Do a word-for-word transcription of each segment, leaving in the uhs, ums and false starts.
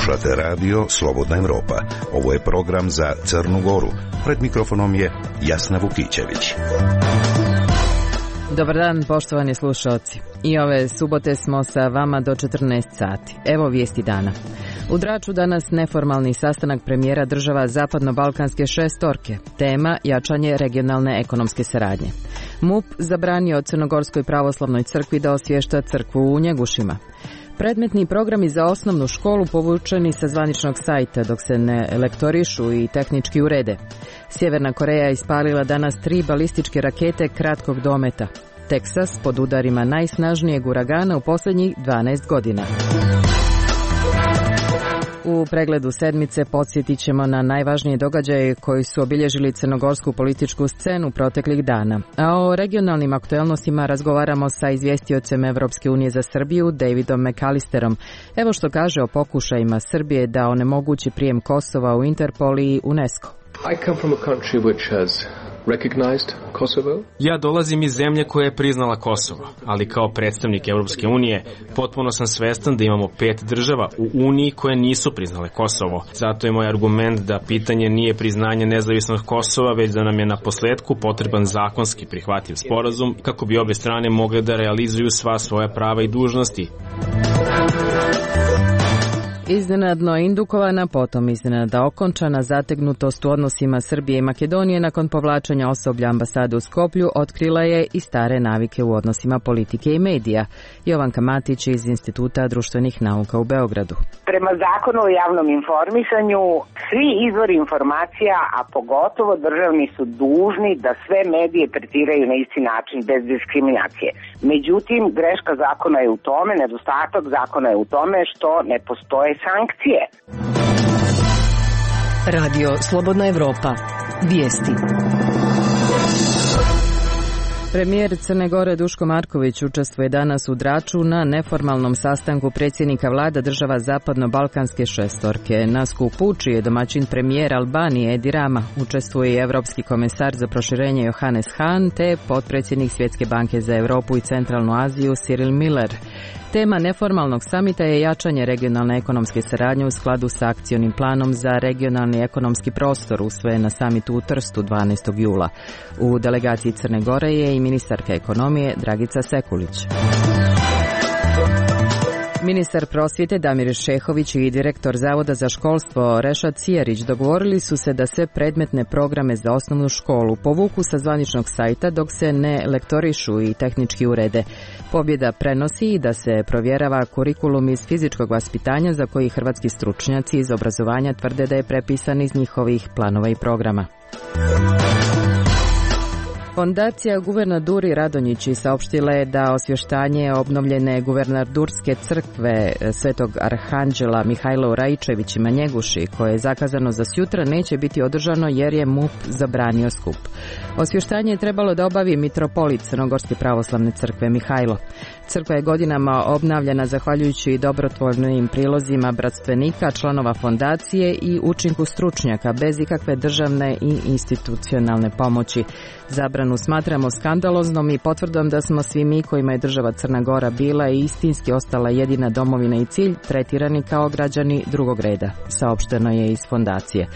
Slušate radio Slobodna Evropa. Ovo je program za Crnu Goru. Pred mikrofonom je Jasna Vukićević. Dobar dan, poštovani slušalci. I ove subote smo sa vama do četrnaest sati. Evo vijesti dana. U Draču danas neformalni sastanak premijera država Zapadno-Balkanske šestorke. Tema jačanje regionalne ekonomske saradnje. MUP zabranio Crnogorskoj pravoslavnoj crkvi da osvješta crkvu u Njegušima. Predmetni programi za osnovnu školu povučeni sa zvaničnog sajta dok se ne lektorišu i tehnički urede. Sjeverna Koreja ispalila danas tri balističke rakete kratkog dometa. Teksas pod udarima najsnažnijeg uragana u posljednjih dvanaest godina. U pregledu sedmice podsjetit ćemo na najvažnije događaje koji su obilježili crnogorsku političku scenu proteklih dana. A o regionalnim aktuelnostima razgovaramo sa izvjestiocem Evropske unije za Srbiju, Davidom McAllisterom. Evo što kaže o pokušajima Srbije da onemogući prijem Kosova u Interpol i UNESCO. I come from a country which has recognized Kosovo. Ja dolazim iz zemlje koja je priznala Kosovo, ali kao predstavnik Europske unije potpuno sam svestan da imamo pet država u Uniji koje nisu priznale Kosovo. Zato je moj argument da pitanje nije priznanje nezavisnog Kosova, već da nam je na posledku potreban zakonski prihvatljiv sporazum kako bi obje strane mogle da realizuju sva svoja prava i dužnosti. Iznenadno indukovana, potom iznenada okončana zategnutost u odnosima Srbije i Makedonije nakon povlačenja osoblja ambasade u Skoplju otkrila je i stare navike u odnosima politike i medija. Jovanka Matić iz Instituta društvenih nauka u Beogradu. Prema zakonu o javnom informisanju, svi izvori informacija, a pogotovo državni, su dužni da sve medije tretiraju na isti način bez diskriminacije. Međutim, greška zakona je u tome, nedostatak zakona je u tome što ne postoje sankcije. Radio Slobodna Evropa. Vijesti. Premijer Crne Gore Duško Marković učestvuje danas u Draču na neformalnom sastanku predsjednika vlada država Zapadno-Balkanske šestorke. Na skupu, čiji je domaćin premijer Albanije Edi Rama, učestvuje i Evropski komesar za proširenje Johannes Hahn te potpredsjednik Svjetske banke za Europu i Centralnu Aziju Cyril Miller. Tema neformalnog samita je jačanje regionalne ekonomske saradnje u skladu sa akcionim planom za regionalni ekonomski prostor usvojen na samitu u Trstu dvanaestog jula. U delegaciji Crne Gore je i ministarka ekonomije Dragica Sekulić. Ministar prosvjete Damir Šehović i direktor Zavoda za školstvo Rešad Cijerić dogovorili su se da sve predmetne programe za osnovnu školu povuku sa zvaničnog sajta dok se ne lektorišu i tehnički urede. Pobjeda prenosi i da se provjerava kurikulum iz fizičkog vaspitanja za koji hrvatski stručnjaci iz obrazovanja tvrde da je prepisan iz njihovih planova i programa. Fondacija Guvernaduri Radonjići saopštila je da osvještanje obnovljene Guvernadurske crkve Svetog Arhanđela Mihajlo Raičevićima Njeguši, koje je zakazano za sjutra, neće biti održano jer je MUP zabranio skup. Osvještanje je trebalo da obavi mitropolit Crnogorske pravoslavne crkve Mihajlo. Crkva je godinama obnavljana zahvaljujući dobrotvornim prilozima bratstvenika, članova fondacije i učinku stručnjaka bez ikakve državne i institucionalne pomoći. Zabranu smatramo skandaloznom i potvrdom da smo svi mi kojima je država Crna Gora bila i istinski ostala jedina domovina i cilj tretirani kao građani drugog reda, saopšteno je iz fondacije.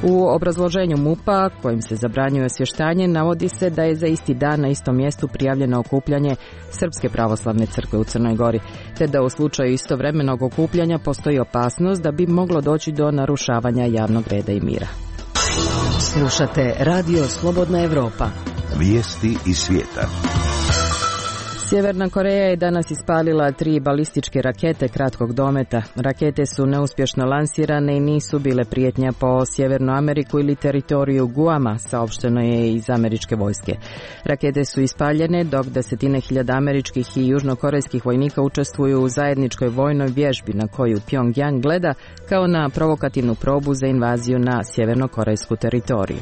U obrazloženju MUP-a, kojim se zabranjuje osvještanje, navodi se da je za isti dan na istom mjestu prijavljeno okupljanje Srpske pravoslavne crkve u Crnoj Gori, te da u slučaju istovremenog okupljanja postoji opasnost da bi moglo doći do narušavanja javnog reda i mira. Slušate Radio Slobodna Evropa. Vijesti iz svijeta. Sjeverna Koreja je danas ispalila tri balističke rakete kratkog dometa. Rakete su neuspješno lansirane i nisu bile prijetnja po Sjevernu Ameriku ili teritoriju Guama, saopšteno je iz američke vojske. Rakete su ispaljene dok desetine hiljada američkih i južnokorejskih vojnika učestvuju u zajedničkoj vojnoj vježbi na koju Pyongyang gleda kao na provokativnu probu za invaziju na sjevernokorejsku teritoriju.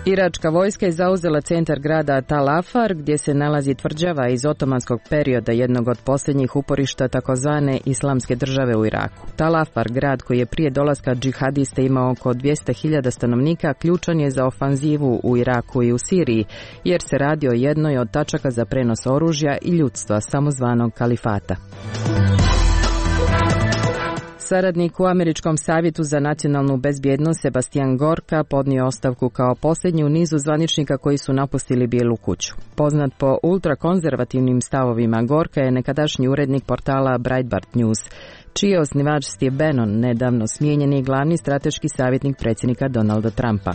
Iračka vojska je zauzela centar grada Tal Afar, gdje se nalazi tvrđava iz otomanskog perioda, jednog od posljednjih uporišta takozvane islamske države u Iraku. Tal Afar, grad koji je prije dolaska džihadista imao oko dvjesto hiljada stanovnika, ključan je za ofanzivu u Iraku i u Siriji, jer se radi o jednoj od tačaka za prenos oružja i ljudstva samozvanog kalifata. Saradnik u Američkom savjetu za nacionalnu bezbjednost Sebastian Gorka podnio ostavku kao posljednji u nizu zvaničnika koji su napustili Bijelu kuću. Poznat po ultrakonzervativnim stavovima, Gorka je nekadašnji urednik portala Breitbart News, čiji je osnivač Steve Bannon, nedavno smijenjeni glavni strateški savjetnik predsjednika Donalda Trumpa.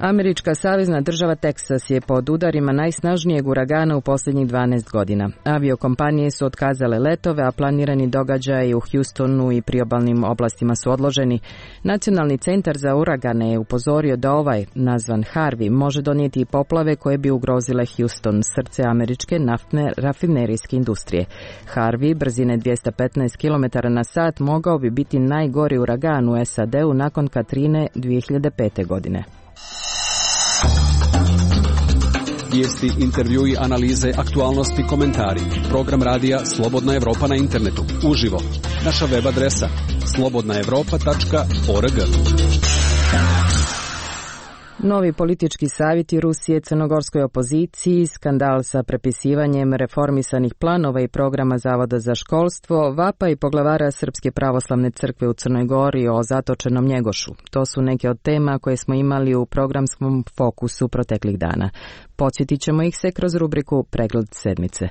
Američka savezna država Teksas je pod udarima najsnažnijeg uragana u posljednjih dvanaest godina. Aviokompanije su otkazale letove, a planirani događaji u Houstonu i priobalnim oblastima su odloženi. Nacionalni centar za uragane je upozorio da ovaj, nazvan Harvey, može donijeti i poplave koje bi ugrozile Houston, srce američke naftne rafinerijske industrije. Harvey, brzine dvjesto petnaest kilometara na sat, mogao bi biti najgori uragan u S A D-u nakon Katrine dvije hiljade pete. godine. Vijesti, intervjui, analize, aktualnosti, komentari. Program radija Slobodna Evropa na internetu. Uživo. Naša web adresa slobodna evropa tačka org. Novi politički savjeti Rusije crnogorskoj opoziciji, skandal sa prepisivanjem reformisanih planova i programa Zavoda za školstvo, vapaj poglavara Srpske pravoslavne crkve u Crnoj Gori o zatočenom Njegošu. To su neke od tema koje smo imali u programskom fokusu proteklih dana. Podsjetit ćemo ih se kroz rubriku Pregled sedmice.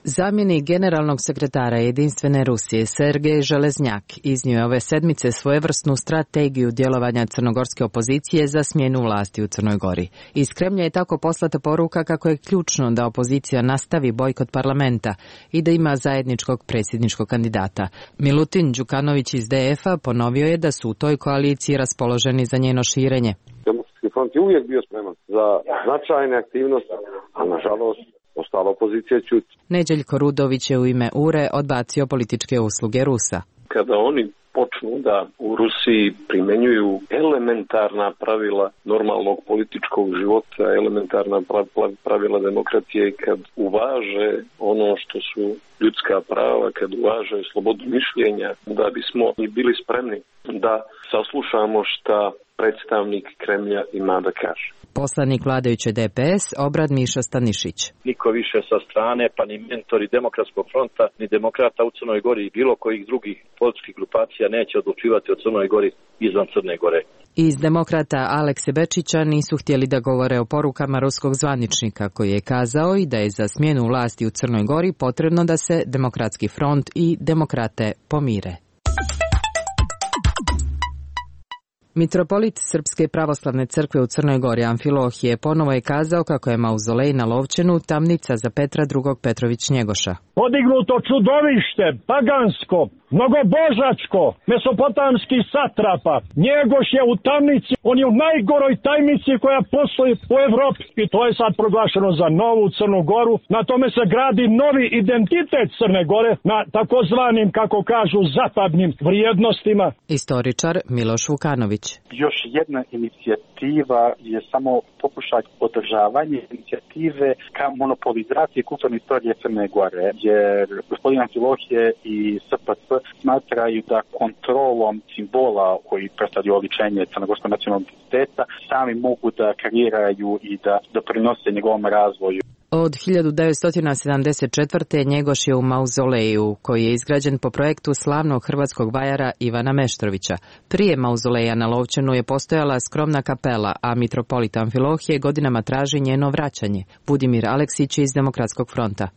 Zamjenik generalnog sekretara Jedinstvene Rusije Sergej Železnjak iznio je ove sedmice svojevrsnu strategiju djelovanja crnogorske opozicije za smjenu vlasti u Crnoj Gori. Iz Kremlja je tako poslata poruka kako je ključno da opozicija nastavi bojkot parlamenta i da ima zajedničkog predsjedničkog kandidata. Milutin Đukanović iz D F-a ponovio je da su u toj koaliciji raspoloženi za njeno širenje. Demokratski front je uvijek bio spreman za značajne aktivnosti, a nažalost ostala opozicija ćuti. Neđeljko Rudović je u ime U R E odbacio političke usluge Rusa. Kada oni počnu da u Rusiji primenjuju elementarna pravila normalnog političkog života, elementarna pravila demokracije i kad uvaže ono što su ljudska prava, kad uvaže slobodu mišljenja, da bismo i bili spremni da saslušamo šta predstavnik Kremlja ima da kaže. Poslanik vladajuće D P S Obrad Miša Stanišić. Niko više sa strane, pa ni mentori Demokratskog fronta, ni demokrata u Crnoj Gori i bilo kojih drugih političkih grupacija neće odlučivati o Crnoj Gori izvan Crne Gore. Iz demokrata Alekse Bečića nisu htjeli da govore o porukama ruskog zvaničnika koji je kazao i da je za smjenu vlasti u Crnoj Gori potrebno da se Demokratski front i demokrate pomire. Mitropolit Srpske pravoslavne crkve u Crnoj Gori Amfilohije ponovo je kazao kako je mauzolej na Lovćenu tamnica za Petra drugog Petrović Njegoša. Podignuto čudovište, pagansko, mnogobožačko, mesopotamski satrapa. Njegoš je u tamnici, on je u najgoroj tajnici koja postoji u Evropi. I to je sad proglašeno za novu Crnu Goru. Na tome se gradi novi identitet Crne Gore na takozvanim, kako kažu, zapadnim vrijednostima. Istoričar Miloš Vukanović. Još jedna inicijativa je samo pokušaj održavanja inicijative ka monopolizaciji kulturne istorije Crne Gore, jer gospodin Amfilohije i S P C smatraju da kontrolom simbola koji predstavljaju oličenje crnogorskog nacionalnog identiteta sami mogu da kreiraju i da doprinose njegovom razvoju. Od hiljadu devetsto sedamdeset četvrte. Njegoš je u mauzoleju, koji je izgrađen po projektu slavnog hrvatskog vajara Ivana Meštrovića. Prije mauzoleja na Lovćenu je postojala skromna kapela, a mitropolit Amfilohije godinama traži njeno vraćanje. Budimir Aleksić iz Demokratskog fronta.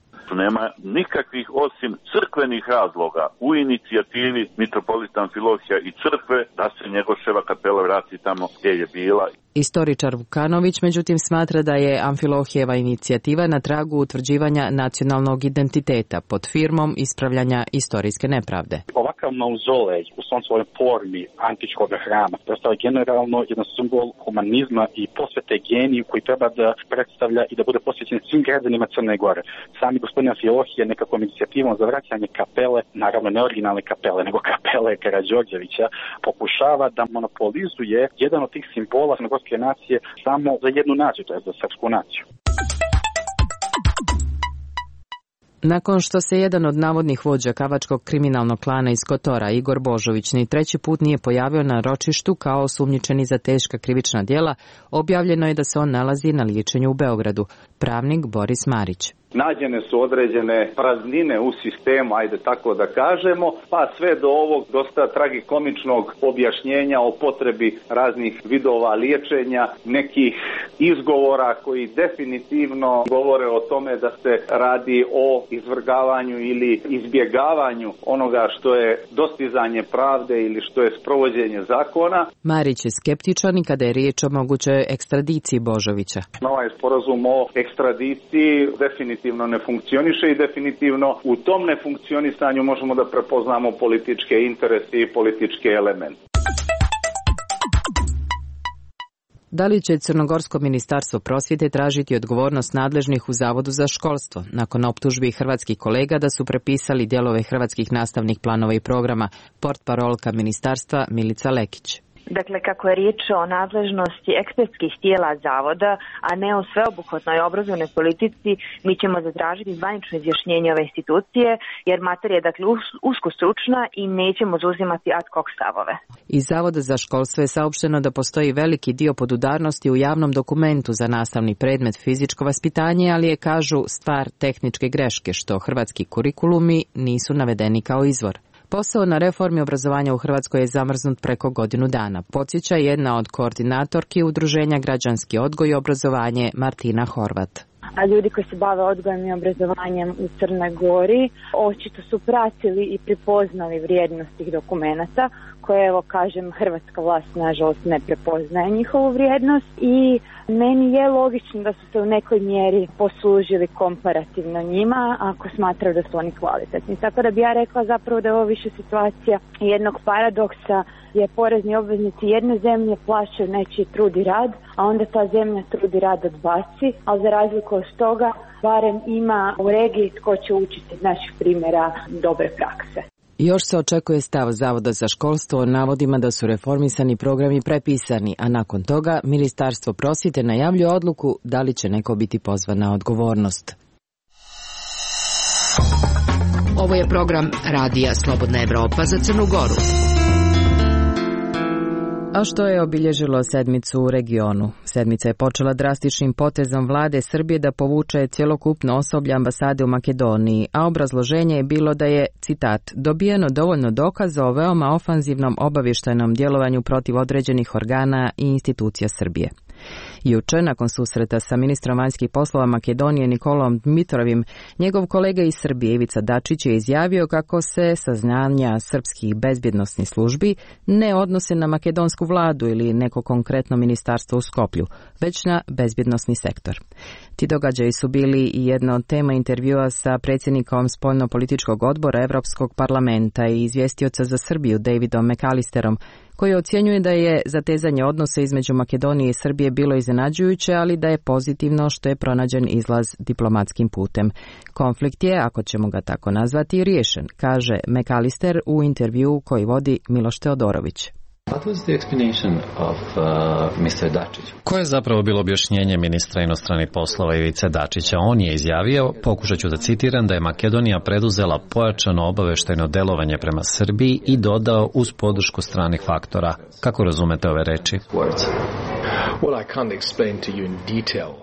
Nema nikakvih osim crkvenih razloga u inicijativi mitropolita Amfilohija i crkve da se Njegoševa kapela vrati tamo gdje je bila. Istoričar Vukanović međutim smatra da je Amfilohijeva inicijativa na tragu utvrđivanja nacionalnog identiteta pod firmom ispravljanja istorijske nepravde. Ovakav mauzolej u svom svojoj formi antičkog hrama predstavlja generalno jedan simbol humanizma i posvete geniju koji treba da predstavlja i da bude posvećen svim građanima Crne Gore. Sami gospodin Amfilohije nekakvom inicijativom za vraćanje kapele, naravno ne originalne kapele, nego kapele Karađorđevića, pokušava da monopolizuje jedan od tih simbola crnogorske nacije samo za jednu naciju, to je za srpsku naciju. Nakon što se jedan od navodnih vođa kavačkog kriminalnog klana iz Kotora, Igor Božović, ni treći put nije pojavio na ročištu kao osumnjičeni za teška krivična djela, objavljeno je da se on nalazi na liječenju u Beogradu. pravnik Boris Marić. Nađene su određene praznine u sistemu, ajde tako da kažemo, pa sve do ovog dosta tragikomičnog objašnjenja o potrebi raznih vidova liječenja, nekih izgovora koji definitivno govore o tome da se radi o izvrgavanju ili izbjegavanju onoga što je dostizanje pravde ili što je sprovođenje zakona. Marić je skeptičan i kada je riječ o mogućoj ekstradiciji Božovića. Ovaj sporazum o ekstradiciji definitivno ne funkcioniše i definitivno u tom nefunkcionisanju možemo da prepoznamo političke interese i političke elemente. Da li će Crnogorsko ministarstvo prosvjete tražiti odgovornost nadležnih u Zavodu za školstvo nakon optužbi hrvatskih kolega da su prepisali dijelove hrvatskih nastavnih planova i programa, portparolka ministarstva Milica Lekić. Dakle, kako je riječ o nadležnosti ekspertskih tijela zavoda, a ne o sveobuhvatnoj obrazovnoj politici, mi ćemo zatražiti zvanično izjašnjenje ove institucije, jer materija je dakle usko stručna i nećemo zauzimati ad hoc stavove. Iz Zavoda za školstvo je saopšteno da postoji veliki dio podudarnosti u javnom dokumentu za nastavni predmet fizičko vaspitanje, ali je, kažu, stvar tehničke greške, što hrvatski kurikulumi nisu navedeni kao izvor. Posao na reformi obrazovanja u Hrvatskoj je zamrznut preko godinu dana, podsjeća jedna od koordinatorki Udruženja Građanski odgoj i obrazovanje Martina Horvat. A ljudi koji se bave odgojem i obrazovanjem u Crnoj Gori očito su pratili i prepoznali vrijednost tih dokumenata koje, evo kažem, hrvatska vlast nažalost ne prepoznaje njihovu vrijednost i meni je logično da su se u nekoj mjeri poslužili komparativno njima ako smatraju da su oni kvalitetni. Tako da bi ja rekla zapravo da je ovo više situacija jednog paradoksa gdje porezni obveznici jedne zemlje plaćaju nečiji trud i rad, a onda ta zemlja trud i rad odbaci, ali za razliku od toga barem ima u regiji tko će učiti iz naših primjera dobre prakse. Još se očekuje stav Zavoda za školstvo o navodima da su reformisani programi prepisani, a nakon toga Ministarstvo prosvjete najavljuje odluku da li će neko biti pozvan na odgovornost. Ovo je program Radija Slobodna Evropa za Crnu Goru. A što je obilježilo sedmicu u regionu? Sedmica je počela drastičnim potezom vlade Srbije da povuče cjelokupno osoblje ambasade u Makedoniji, a obrazloženje je bilo da je, citat, dobijeno dovoljno dokaza o veoma ofanzivnom obavještajnom djelovanju protiv određenih organa i institucija Srbije. Juče, nakon susreta sa ministrom vanjskih poslova Makedonije Nikolom Dmitrovim, njegov kolega iz Srbije Ivica Dačić je izjavio kako se saznanja srpskih bezbjednosnih službi ne odnose na makedonsku vladu ili neko konkretno ministarstvo u Skoplju, već na bezbjednosni sektor. Ti događaji su bili i jedna od tema intervjua sa predsjednikom spoljno-političkog odbora Evropskog parlamenta i izvjestioca za Srbiju Davidom McAllisterom, koji ocjenjuje da je zatezanje odnosa između Makedonije i Srbije bilo iznenađujuće, ali da je pozitivno što je pronađen izlaz diplomatskim putem. Konflikt je, ako ćemo ga tako nazvati, riješen, kaže McAllister u intervjuu koji vodi Miloš Teodorović. What was the explanation of uh, mister Dačić? Koje je zapravo bilo objašnjenje ministra inostranih poslova Ivice Dačića? On je izjavio, pokušat ću da citiram, da je Makedonija preduzela pojačano obaveštajno delovanje prema Srbiji i dodao uz podršku stranih faktora. Kako razumete ove reči?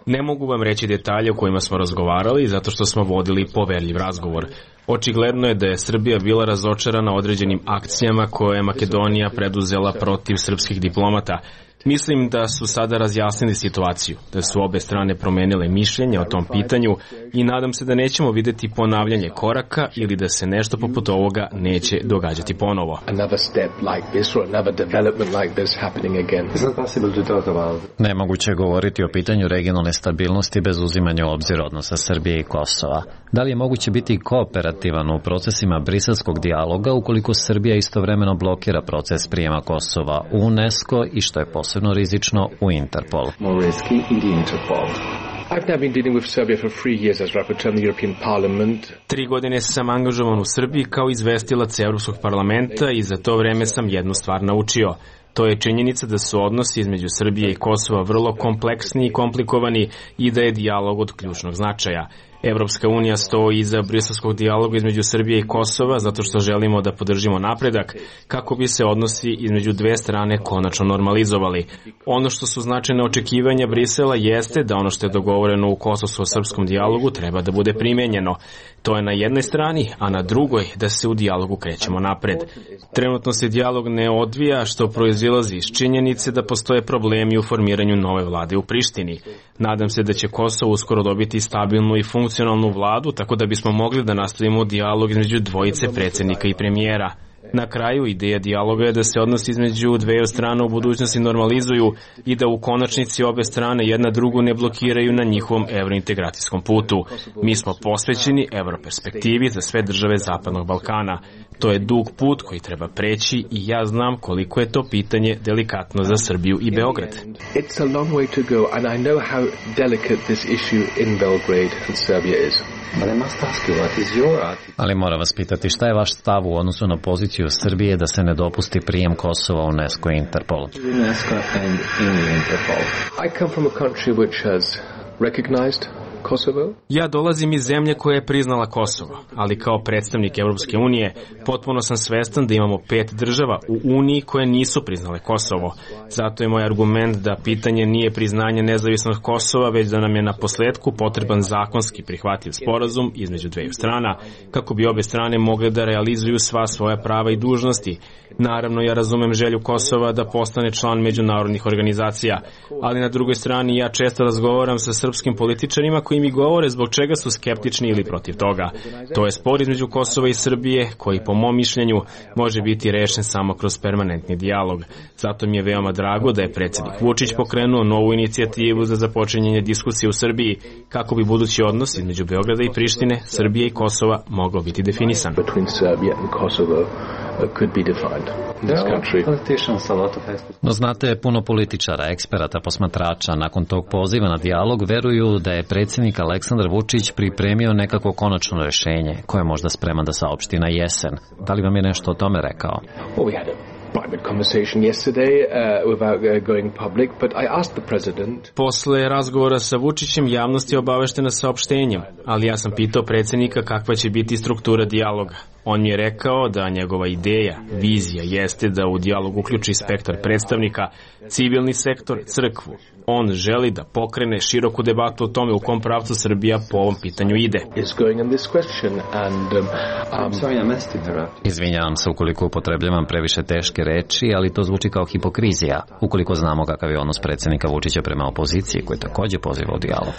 Ne mogu vam reći detalje o kojima smo razgovarali zato što smo vodili poverljiv razgovor. Očigledno je da je Srbija bila razočarana određenim akcijama koje je Makedonija preduzela protiv srpskih diplomata. Mislim da su sada razjasnili situaciju, da su obe strane promenile mišljenje o tom pitanju i nadam se da nećemo vidjeti ponavljanje koraka ili da se nešto poput ovoga neće događati ponovo. Nemoguće je govoriti o pitanju regionalne stabilnosti bez uzimanja u obzir odnosa Srbije i Kosova. Da li je moguće biti kooperativan u procesima briselskog dijaloga ukoliko Srbija istovremeno blokira proces prijema Kosova u UNESCO i, što je posebno rizično, u Interpol? Tri godine sam angažovan u Srbiji kao izvestilac Evropskog parlamenta i za to vreme sam jednu stvar naučio. To je činjenica da su odnosi između Srbije i Kosova vrlo kompleksni i komplikovani i da je dijalog od ključnog značaja. Evropska unija stoji iza briselskog dijaloga između Srbije i Kosova zato što želimo da podržimo napredak kako bi se odnosi između dve strane konačno normalizovali. Ono što su značajne očekivanja Brisela jeste da ono što je dogovoreno u kosovsko-srpskom dijalogu treba da bude primenjeno. To je na jednoj strani, a na drugoj da se u dijalogu krećemo napred. Trenutno se dijalog ne odvija što proizilazi iz činjenice da postoje problemi u formiranju nove vlade u Prištini. Nadam se da će Kosovo uskoro dobiti stabilnu i funkcionalnu vladu tako da bismo mogli da nastavimo dijalog između dvojice predsjednika i premijera. Na kraju, ideja dijaloga je da se odnosi između dveju strana u budućnosti normalizuju i da u konačnici obe strane jedna drugu ne blokiraju na njihovom evrointegracijskom putu. Mi smo posvećeni evroperspektivi za sve države Zapadnog Balkana. To je dug put koji treba preći i ja znam koliko je to pitanje delikatno za Srbiju i Beograd. It's a long way to go and I know how delicate this issue in Belgrade and Serbia is. Ali moram vas pitati, šta je vaš stav u odnosu na poziciju Srbije da se ne dopusti prijem Kosova u UNESCO i Interpol? I come from a country which has recognized Kosovo. Ja dolazim iz zemlje koja je priznala Kosovo, ali kao predstavnik Evropske unije potpuno sam svestan da imamo pet država u Uniji koje nisu priznale Kosovo. Zato je moj argument da pitanje nije priznanje nezavisnog Kosova, već da nam je na posledku potreban zakonski prihvatljiv sporazum između dveju strana, kako bi obe strane mogle da realizuju sva svoja prava i dužnosti. Naravno, ja razumem želju Kosova da postane član međunarodnih organizacija, ali na drugoj strani ja često razgovaram sa srpskim političarima koji mi govore zbog čega su skeptični ili protiv toga. To je spor između Kosova i Srbije koji po mom mišljenju može biti rešen samo kroz permanentni dijalog. Zato mi je veoma drago da je predsjednik Vučić pokrenuo novu inicijativu za započinjanje diskusije u Srbiji kako bi budući odnos između Beograda i Prištine, Srbije i Kosova mogao biti definisan. No znate, puno političara, eksperata, posmatrača nakon tog poziva na dijalog veruju da je predsjednik Aleksandar Vučić pripremio nekako konačno rešenje koje je možda spreman da saopšti na jesen. Da li vam je nešto o tome rekao? Posle razgovora sa Vučićem javnost je obaveštena saopštenjem, ali ja sam pitao predsjednika kakva će biti struktura dijaloga. On mi je rekao da njegova ideja, vizija jeste da u dijalog uključi spektar predstavnika, civilni sektor, crkvu. On želi da pokrene široku debatu o tome u kom pravcu Srbija po ovom pitanju ide. Izvinjavam se ukoliko upotrebljavam previše teške reči, ali to zvuči kao hipokrizija, ukoliko znamo kakav je odnos predsjednika Vučića prema opoziciji, koji takođe poziva u dijalog.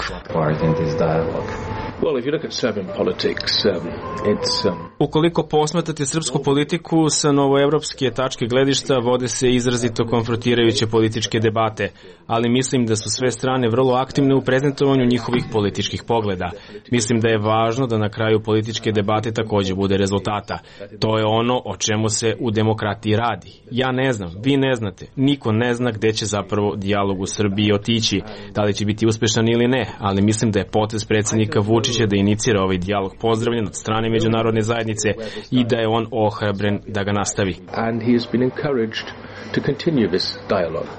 Ukoliko posmatrate srpsku politiku sa novoevropske tačke gledišta, vode se izrazito konfrontirajuće političke debate, ali mislim da su sve strane vrlo aktivne u prezentovanju njihovih političkih pogleda. Mislim da je važno da na kraju političke debate takođe bude rezultata. To je ono o čemu se u demokratiji radi. Ja ne znam, vi ne znate, niko ne zna gde će zapravo dijalog u Srbiji otići, da li će biti uspešan ili ne, ali mislim da je potez predsjednika Vučića da inicira ovaj dijalog pozdravljen od strane međunarodne zajednice i da je on ohrabren da ga nastavi. And he has been encouraged to continue this dialogue.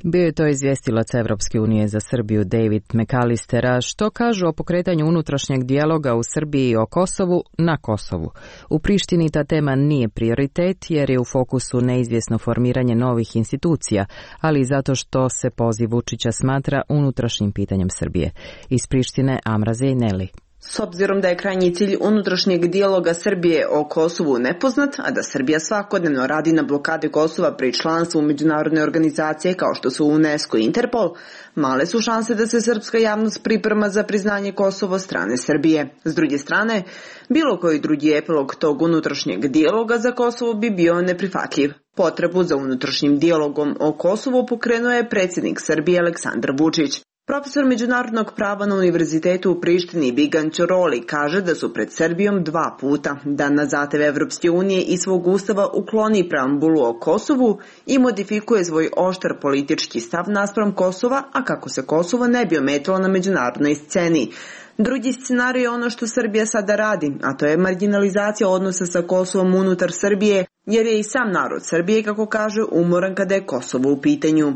Bio je to izvjestilac Evropske unije za Srbiju David McAllister, a što kažu o pokretanju unutrašnjeg dijaloga u Srbiji o Kosovu na Kosovu. U Prištini ta tema nije prioritet jer je u fokusu neizvjesno formiranje novih institucija, ali i zato što se poziv Vučića smatra unutrašnjim pitanjem Srbije. Iz Prištine Amra Zejneli. S obzirom da je krajnji cilj unutrašnjeg dijaloga Srbije o Kosovu nepoznat, a da Srbija svakodnevno radi na blokade Kosova pri članstvu u međunarodne organizacije kao što su UNESCO i Interpol, male su šanse da se srpska javnost priprema za priznanje Kosova strane Srbije. S druge strane, bilo koji drugi epilog tog unutrašnjeg dijaloga za Kosovo bi bio neprihvatljiv. Potrebu za unutrašnjim dijalogom o Kosovu pokrenuo je predsjednik Srbije Aleksandar Vučić. Profesor međunarodnog prava na Univerzitetu u Prištini Bigan Ćoroli kaže da su pred Srbijom dva puta da na zahtev Evropske unije i svog ustava ukloni preambulu o Kosovu i modifikuje svoj oštar politički stav naspram Kosova, a kako se Kosovo ne bi ometalo na međunarodnoj sceni. Drugi scenarij je ono što Srbija sada radi, a to je marginalizacija odnosa sa Kosovom unutar Srbije, jer je i sam narod Srbije, kako kaže, umoran kada je Kosovo u pitanju.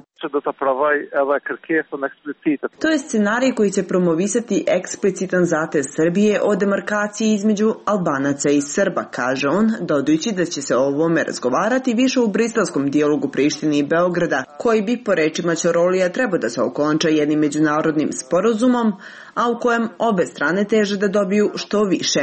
To je scenarij koji će promovisati eksplicitan zatez Srbije o demarkaciji između Albanaca i Srba, kaže on, dodajući da će se o ovome razgovarati više u briselskom dijalogu Prištine i Beograda, koji bi po rečima Ćorolija trebao da se okonča jednim međunarodnim sporazumom, a u kojem obe strane teže da dobiju što više.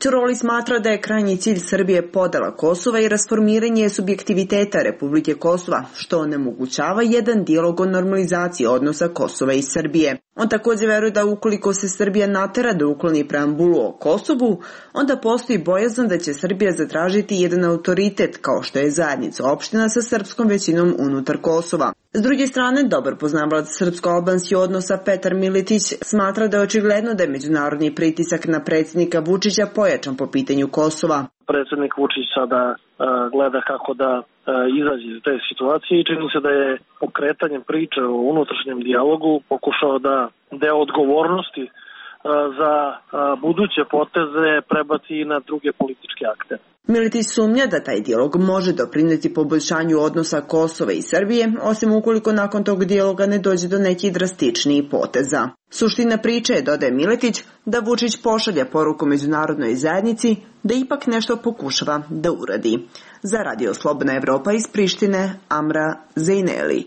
Ćoroli smatra da je krajnji cilj Srbije podela Kosova i rasformiranje subjektiviteta Republike Kosova, što onemogućava jedan dijalog o normalizaciji odnosa Kosova i Srbije. On također veruje da ukoliko se Srbija natera da ukloni preambulu o Kosovu, onda postoji bojazan da će Srbija zatražiti jedan autoritet kao što je zajednica opština sa srpskom većinom unutar Kosova. S druge strane, dobar poznavalac srpsko-albanskih odnosa Petar Miletić smatra da je očigledno da je međunarodni pritisak na predsjednika Vučića pojačan po pitanju Kosova. Predsjednik Vučić sada uh, gleda kako da uh, izađe iz te situacije i čini se da je pokretanjem priče o unutrašnjem dijalogu pokušao da deo odgovornosti uh, za uh, buduće poteze prebaci na druge političke akte. Miletić sumnja da taj dijalog može doprineti poboljšanju odnosa Kosova i Srbije, osim ukoliko nakon tog dijaloga ne dođe do nekih drastičnijih poteza. Suština priče je, dodaje Miletić, da Vučić pošalja poruku međunarodnoj zajednici da ipak nešto pokušava da uradi. Za Radio Slobodna Evropa iz Prištine, Amra Zejneli.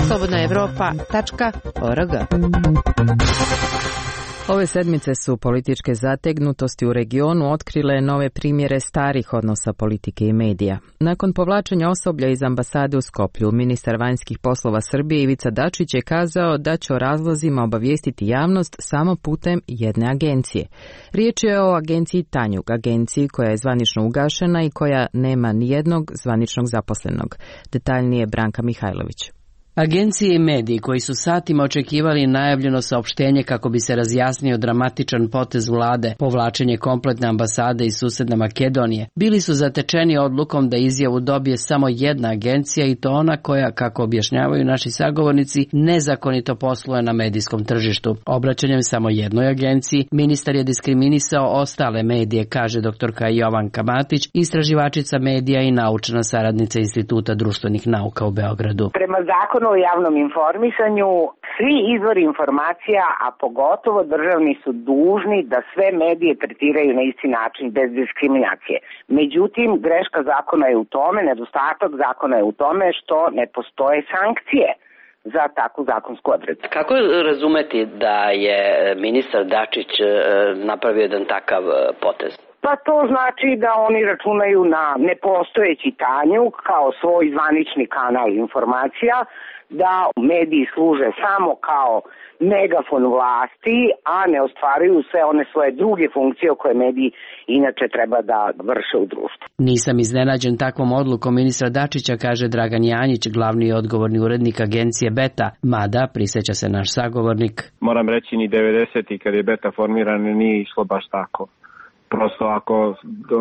slobodna evropa tačka org. Ove sedmice su političke zategnutosti u regionu otkrile nove primjere starih odnosa politike i medija. Nakon povlačenja osoblja iz ambasade u Skoplju, ministar vanjskih poslova Srbije Ivica Dačić je kazao da će o razlozima obavijestiti javnost samo putem jedne agencije. Riječ je o agenciji Tanjug, agenciji koja je zvanično ugašena i koja nema nijednog zvaničnog zaposlenog. Detaljnije Branka Mihajlović. Agencije i mediji koji su satima očekivali najavljeno saopštenje kako bi se razjasnio dramatičan potez vlade, povlačenje kompletne ambasade iz susedne Makedonije, bili su zatečeni odlukom da izjavu dobije samo jedna agencija i to ona koja, kako objašnjavaju naši sagovornici, nezakonito posluje na medijskom tržištu. Obraćanjem samo jednoj agenciji, ministar je diskriminisao ostale medije, kaže doktorka Jovanka Matić, istraživačica medija i naučna saradnica Instituta društvenih nauka u Beogradu. Prema zakonu o javnom informisanju, svi izvori informacija, a pogotovo državni, su dužni da sve medije tretiraju na isti način, bez diskriminacije. Međutim, greška zakona je u tome, nedostatak zakona je u tome što ne postoje sankcije za takvu zakonsku odredbu. Kako razumeti da je ministar Dačić napravio jedan takav potez? Pa to znači da oni računaju na nepostojeći Tanjug kao svoj zvanični kanal informacija, da mediji služe samo kao megafon vlasti, a ne ostvaruju sve one svoje druge funkcije koje mediji inače treba da vrše u društvu. Nisam iznenađen takvom odlukom ministra Dačića, kaže Dragan Janjić, glavni i odgovorni urednik agencije Beta, mada, prisjeća se naš sagovornik. Moram reći, ni devedesetih kad je Beta formiran nije išlo baš tako. Prosto ako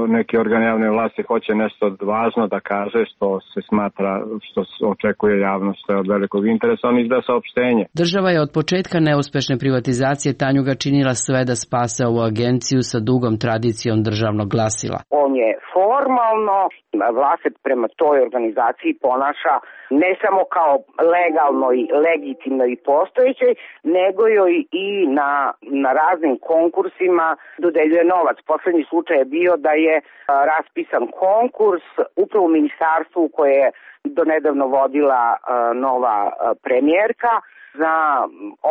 neki organ javne vlasti hoće nešto važno da kaže što se smatra, što se očekuje javnost, što je od velikog interesa, on izda saopštenje. Država je od početka neuspešne privatizacije Tanjuga činila sve da spase ovu agenciju sa dugom tradicijom državnog glasila. On je formalno, vlast se prema toj organizaciji ponaša ne samo kao legalno i legitimno i postojećoj, nego joj i na, na raznim konkursima dodeljuje novac. Poslednji slučaj je bio da je a, raspisan konkurs upravo u ministarstvu koje je donedavno vodila a, nova a, premijerka za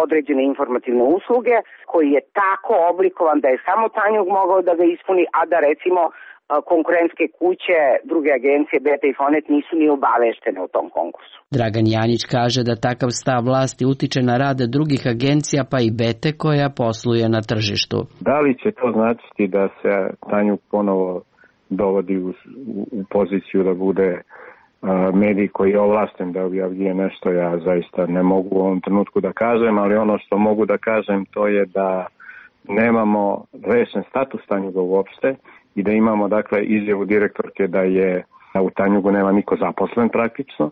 određene informativne usluge, koji je tako oblikovan da je samo Tanjug mogao da ga ispuni, a da recimo konkurentske kuće, druge agencije, Beta i Fonet nisu ni obaveštene o tom konkursu. Dragan Janjić kaže da takav stav vlasti utiče na rade drugih agencija, pa i Bete koja posluje na tržištu. Da li će to značiti da se Tanjug ponovo dovodi u, u poziciju da bude uh, medij koji je ovlašten da objavljuje nešto? Ja zaista ne mogu u ovom trenutku da kažem, ali ono što mogu da kažem to je da nemamo rešen status Tanjuga uopšte i da imamo dakle izjavu direktorke da je da u Tanjugu nema niko zaposlen praktično,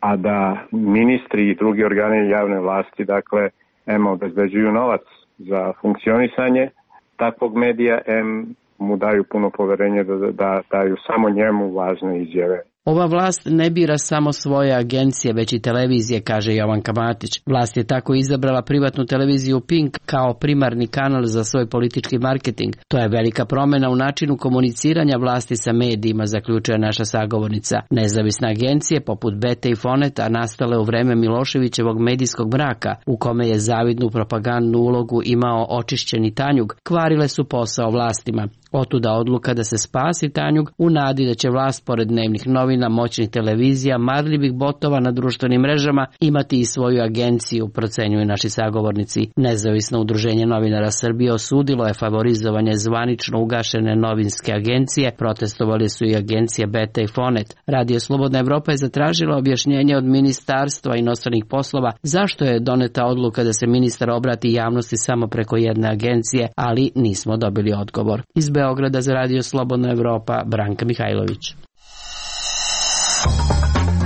a da ministri i drugi organi javne vlasti dakle em obezbeđuju novac za funkcionisanje takvog medija, em mu daju puno poverenje da, da daju samo njemu važne izjave. Ova vlast ne bira samo svoje agencije, već i televizije, kaže Jovanka Matić. Vlast je tako izabrala privatnu televiziju Pink kao primarni kanal za svoj politički marketing. To je velika promjena u načinu komuniciranja vlasti sa medijima, zaključuje naša sagovornica. Nezavisne agencije poput Bete i Foneta, nastale u vreme Miloševićevog medijskog mraka, u kome je zavidnu propagandnu ulogu imao očišćeni Tanjug, kvarile su posao vlastima. Otuda odluka da se spasi Tanjug u nadi da će vlast pored dnevnih novina, moćnih televizija, marljivih botova na društvenim mrežama imati i svoju agenciju, procenjuju naši sagovornici. Nezavisno udruženje novinara Srbije osudilo je favorizovanje zvanično ugašene novinske agencije, protestovali su i agencije Beta i Fonet. Radio Slobodna Evropa je zatražila objašnjenje od Ministarstva inostranih poslova zašto je doneta odluka da se ministar obrati javnosti samo preko jedne agencije, ali nismo dobili odgovor. Iz Beograda za Radio Slobodna Evropa, Branka Mihajlović.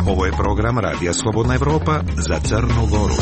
Ovo je program Radija Slobodna Evropa za Crnu Goru.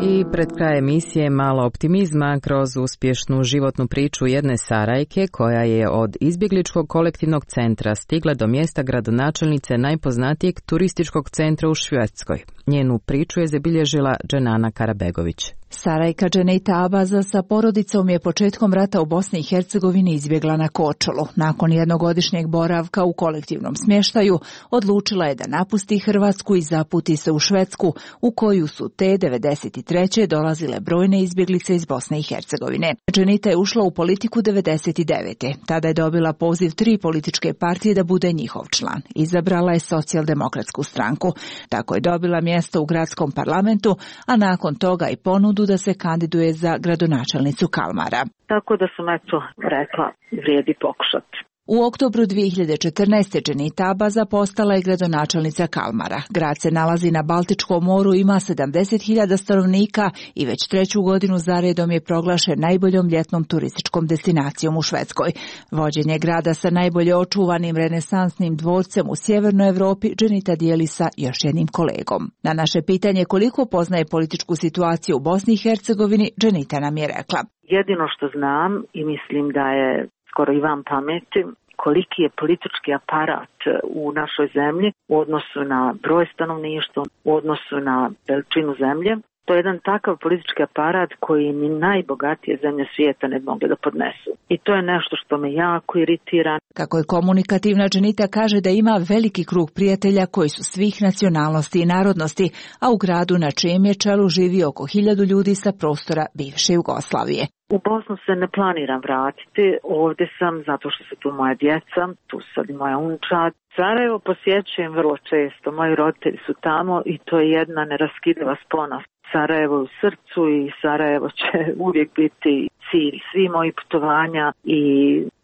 I pred kraj emisije malo optimizma kroz uspješnu životnu priču jedne Sarajke koja je od izbjegličkog kolektivnog centra stigla do mjesta gradonačelnice najpoznatijeg turističkog centra u Švedskoj. Njenu priču je zabilježila Dženana Karabegović. Sarajka Dženejta Abaza sa porodicom je početkom rata u Bosni i Hercegovini izbjegla na Korčulu. Nakon jednogodišnjeg boravka u kolektivnom smještaju, odlučila je da napusti Hrvatsku i zaputi se u Švedsku, u koju su te devedeset treće dolazile brojne izbjeglice iz Bosne i Hercegovine. Dženita je ušla u politiku devedeset devete Tada je dobila poziv tri političke partije da bude njihov član. Izabrala je Socijaldemokratsku stranku. Tako je dobila mjesto u gradskom parlamentu, a nakon toga i ponudu da se kandiduje za gradonačelnicu Kalmara. Tako da sam eto rekla, vrijedi pokušati. U oktobru dvije hiljade četrnaeste. Dženita Abaza postala je gradonačelnica Kalmara. Grad se nalazi na Baltičkom moru, ima sedamdeset hiljada stanovnika i već treću godinu zaredom je proglašen najboljom ljetnom turističkom destinacijom u Švedskoj. Vođenje grada sa najbolje očuvanim renesansnim dvorcem u sjevernoj Evropi Dženita dijeli sa još jednim kolegom. Na naše pitanje koliko poznaje političku situaciju u Bosni i Hercegovini, Dženita nam je rekla: jedino što znam i mislim da je skoro i vam pameti, koliki je politički aparat u našoj zemlji u odnosu na broj stanovništva, u odnosu na veličinu zemlje. To je jedan takav politički aparat koji ni najbogatije zemlje svijeta ne mogu da podnesu. I to je nešto što me jako iritira. Kako je komunikativna, Dženita kaže da ima veliki krug prijatelja koji su svih nacionalnosti i narodnosti, a u gradu na čijem je čelu živi oko hiljadu ljudi sa prostora bivše Jugoslavije. U Bosnu se ne planiram vratiti, ovdje sam zato što su tu moja djeca, tu sad i moja unčad. Sarajevo posjećujem vrlo često, moji roditelji su tamo i to je jedna neraskidiva spona. Sarajevo u srcu i Sarajevo će uvijek biti cilj svih mojih putovanja i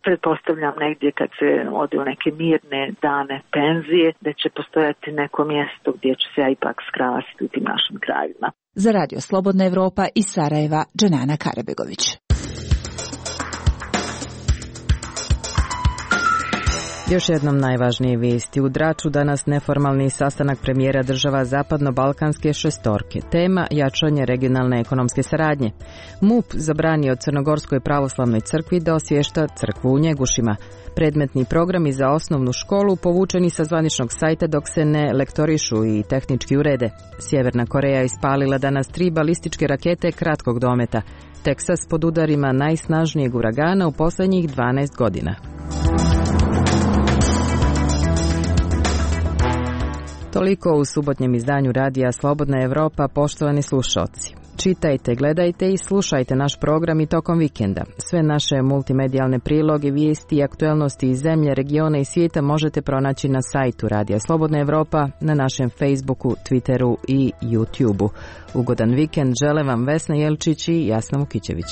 pretpostavljam negdje kad se ode u neke mirne dane penzije da će postojati neko mjesto gdje ću se ja ipak skrasiti u tim našim krajevima. Za Radio Slobodna Evropa iz Sarajeva, Dženana Karabegović. Još jednom najvažnije vijesti. U Draču danas neformalni sastanak premijera država zapadno-balkanske šestorke. Tema jačanje regionalne ekonomske saradnje. MUP zabranio Crnogorskoj pravoslavnoj crkvi da osvješta crkvu u Njegušima. Predmetni programi za osnovnu školu povučeni sa zvaničnog sajta dok se ne lektorišu i tehnički urede. Sjeverna Koreja ispalila danas tri balističke rakete kratkog dometa. Teksas pod udarima najsnažnijeg uragana u posljednjih dvanaest godina. Toliko u subotnjem izdanju Radija Slobodna Evropa, poštovani slušalci. Čitajte, gledajte i slušajte naš program i tokom vikenda. Sve naše multimedijalne priloge, vijesti i aktuelnosti iz zemlje, regiona i svijeta možete pronaći na sajtu Radija Slobodna Evropa, na našem Facebooku, Twitteru i YouTubeu. Ugodan vikend žele vam Vesna Jelčić i Jasna Vukićević.